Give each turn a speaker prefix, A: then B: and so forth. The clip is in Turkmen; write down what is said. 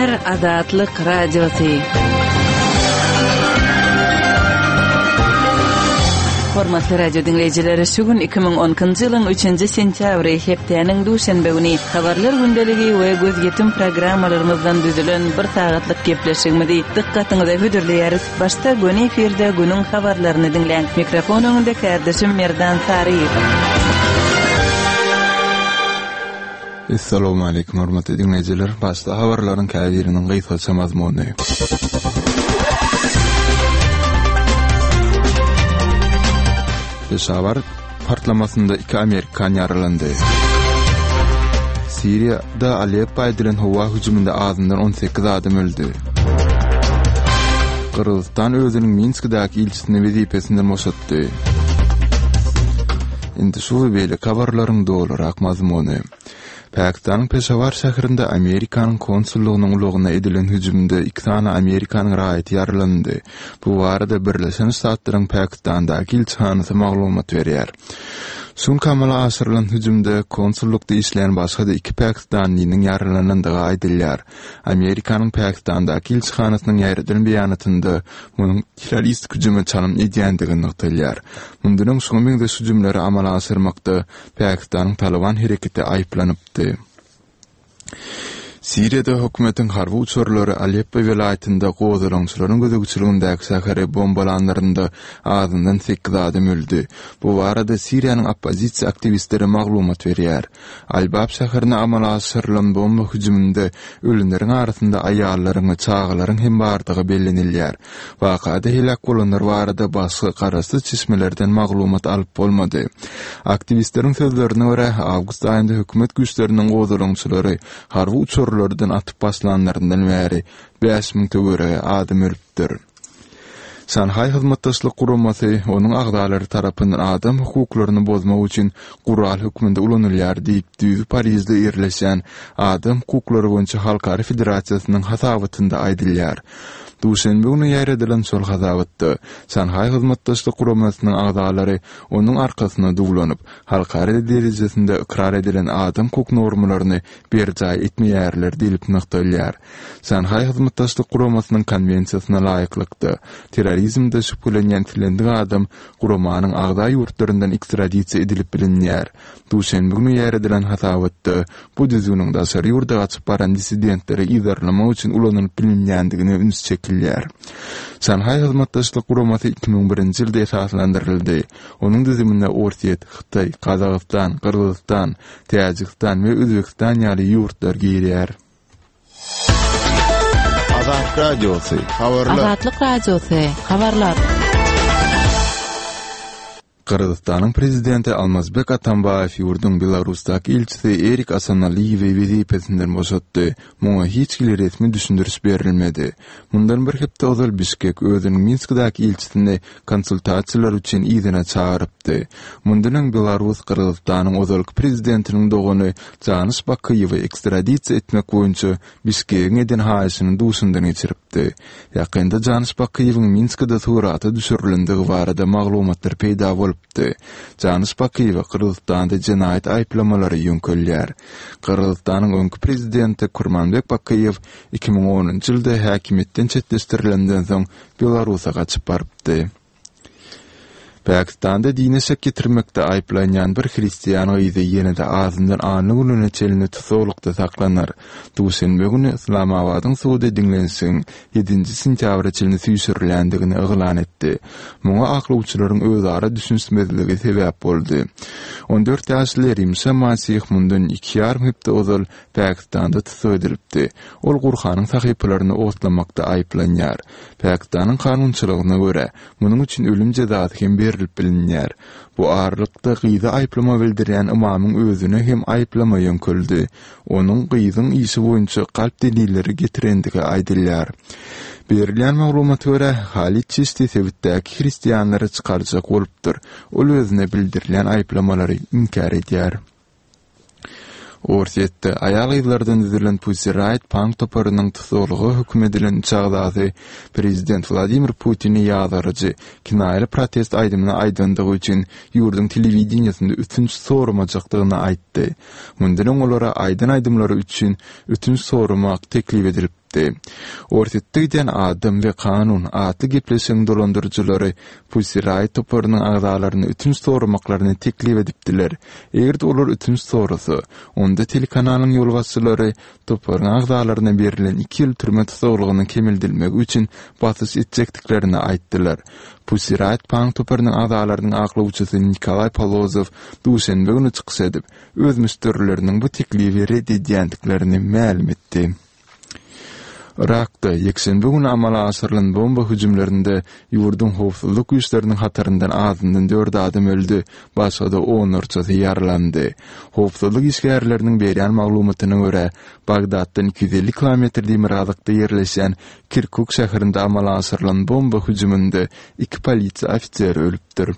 A: Gepleýär Azatlyk Radiosy. Hormatly radio diňleýjiler, şu gün 2012-nji ýylyň 3-nji sentýabry, hepdäniň duşenbe güni Habarlar gündeligi we gözýetim programmalarymyzdan düzülen bir sagatlyk gepleşigimizi dykgatyňyza hödürleýäris. Başda göni efirde günüň habarlaryny diňläň. Mikrofon öňünde kärdeşim Merdan Saryýew.
B: Essalawmaleýkim hormatly diňleýjiler! Başda habarlaryň käbiriniň gysgaça mazmuny. Peşawar partlamasynda iki amerikan ýaralandy. Siriýada Aleppo edilen howa hüjüminde azyndan 18 adam öldi. Gyrgyzystan özüniň Minskidäki ilçisini wezipesinden boşatdy. Indi şu we beýleki habarlaryň dolurak mazmuny. Pakistanyň Peşawar şäherinde Amerikanyň konsullygynyň ulagyna edilen hüjümde iki sany Amerikanyň raýaty ýaralandy. Bu barada Birleşen Ştatlaryň Pakistandaky ilçihanasy maglumat berýär. Şu günki amala aşyrylan hüjümde konsullykda işleýän başga-da iki pakistanlynyň ýaralanandygy aýdylýar. Amerikanyň Pakistandaky ilçihanasynyň ýaýradan beýanatynda munuň terroristik hüjüme çalym edýändigi nygtalýar. Mundan öň şuňa meňzeş hüjümleri amala aşyrmakda Pakistanyň Talyban hereketi aýyplanypdy. Siriýada hökümetiň harby uçarlary Aleppo welaýatynda gozgalaňçylaryň gözegçiligindäki şäheri bombalanlarynda azyndan sekiz adam öldi. Bu barada Siriýanyň oppozisiýa aktiwistleri maglumat berýär. Al-Bab şäherine amala aşyrylan bomba hüjüminde ölenleriň arasynda aýallaryň we çagalaryň hem bardygy bellenilýär. Wakada heläk bolanlar barada başga garaşsyz çeşmelerden maglumat alyp bolmady. Aktiwistleriň sözlerine görä, awgust aýynda hökümet güýçleriniň gozgalaňçylary harby uçarlardan atyp başlanlaryndan bäri 5000 töweregi adam ölüpdir. Şanhaý Hyzmatdaşlyk Guramasy onuň agzalary tarapyndan adam hukuklaryny bozmak üçin gural hökmünde ulanylýar diýip, düýbi Parižde ýerleşýän Adam hukuklary boýunça halkara federasiýasynyň hasabatynda aýdylýar. Duşenbe güni ýaýradylan şol hasabatda, Şanhaý Hyzmatdaşlyk Guramasynyň agzalary onuň arkasyna duwlanyp, halkara derejesinde ykrar edilen adam hukuk normalaryny berjaý etmeýärler diýlip nygtalýar. Şanhaý Hyzmatdaşlyk Guramasynyň Konwensiýasyna laýyklykda, terrorizmde şübhelenýän islendik adam guramanyň agza ýurtlaryndan ekstradisiýa edilip bilinýär. Duşenbe güni ýaýradylan hasabatda bu düzgüniň daşary ýurda gaçyp baran dissidentleri yzarlamak üçin ulanylyp bilinýändigine üns çekilýär. Şanhaý Hyzmatdaşlyk Guramasy 2001-nji ýylda esaslandyryldy. Onuň düzümine Orsýet, Hytaý, Gazagystan, Gyrgyzystan, Täjigistan we Özbegistan ýaly ýurtlar girýär.
C: Azatlyk Radiosy, habarlar.
A: Azatlyk Radiosy, habarlar.
B: Gyrgyzystanyň prezidenti Almazbek Atambaýew ýurduň Belarusdaky ilçisi Erik Asanaliýewi wezipesinden boşatdy. Muňa hiç hili resmi düşündiriş berilmedi. Mundan bir hepde ozal Bişkek özüniň Minskdäki ilçisini konsultasiýalar üçin yzyna çagyrypdy. Mundan öň Belarus Gyrgyzystanyň ozalky prezidentiniň dogany Janyş Bakyýewi ekstradisiýa etmek boýunça Bişkegiň eden haýyşyny duşundan geçiripdi. Ýakynda Janyş Bakyýewiň Minskide surata düşürilendigi barada maglumatlar peýda bolupdy. Janyş Bakyýewe Gyrgyzystanda jenaýat aýyplamalary ýöňkelýär. Gyrgyzystanyň öňki prezidenti Kurmanbek Bakyýew 2010-njy ýylda häkimiýetden çetleşdirilenden soň Belarusa gaçyp barypdy. Pakistanda dine şek ýetirmekde aýyplanýan bir hristian gyzy ýene-de azyndan anna gününe çenli tussaglykda saklanar. Duşenbe güni Yslamabadyň sudy diňlenişigiň ýedinji sentýabra çenli süýşürilýändigini yglan etdi. Muňa aklawçylaryň özara düşünişmezligi sebäp boldy. On dört ýaşly Rimşa Masih mundan iki ýarym hepde ozal Pakistanda tussag edilipdi. Ol Gurhanyň sahypalaryny otlamakda aýyplanýar. Pakistanyň kanunçylygyna görä, munuň üçin ölüm jezasy hem berlip bilinýär. Bu aralykda, gyza aýyplama bildirýän ymamyň özüne hem aýyplama ýöňkeldi. Onuň gyzyň işi boýunça galp delilleri getirendigi aýdylýar. Berilýän maglumata görä, Halid Çişti sebitdäki hristianlary çykarjak bolupdyr. Ol özüne bildirilýän aýyplamalary inkär edýär. Orsýetde aýal-gyzlardan düzülen Pussy Riot punk toparynyň tussaglyga höküm edilen üç agzasy prezident Wladimir Putini ýazgaryjy, kinaýaly protest aýdymyny aýdandygy üçin ýurduň telewideniýesinde ötünç soramajakdygyny aýtdy. Mundan öň olara aýdan aýdymlary üçin ötünç soramak teklip edilipdi. edipdi. Orsýetde gidýän Adam we kanun atly gepleşigiň dolandyryjylary Pussy Riot toparynyň agzalaryna ötünç soramaklaryny teklip edipdiler. Eger-de olar ötünç sorasa, onda telekanalyň ýolbaşçylary toparyň agzalaryna berlen iki ýyl türme tussaglygynyň kemeldilmegi üçin basyş etjekdiklerini aýtdylar. Pussy Riot punk toparynyň agzalarynyň aklawçysy Nikolaý Polozow duşenbe güni çykyş edip, öz müşderileriniň bu teklibi ret edýändiklerini mälim etdi. Yrakda ýekşenbe güni amala aşyrylan bomba hüjümlerinde ýurduň howpsuzlyk güýçleriniň hataryndan azyndan dört adam öldi, başga-da onlarçasy ýaralandy. Howpsuzlyk işgärleriniň berýän maglumatyna görä, Bagdatdan 250 kilometr demirgazykda ýerleşýän Kirkuk şäherinde amala aşyrylan bomba hüjüminde iki polisiýa ofiseri ölüpdir.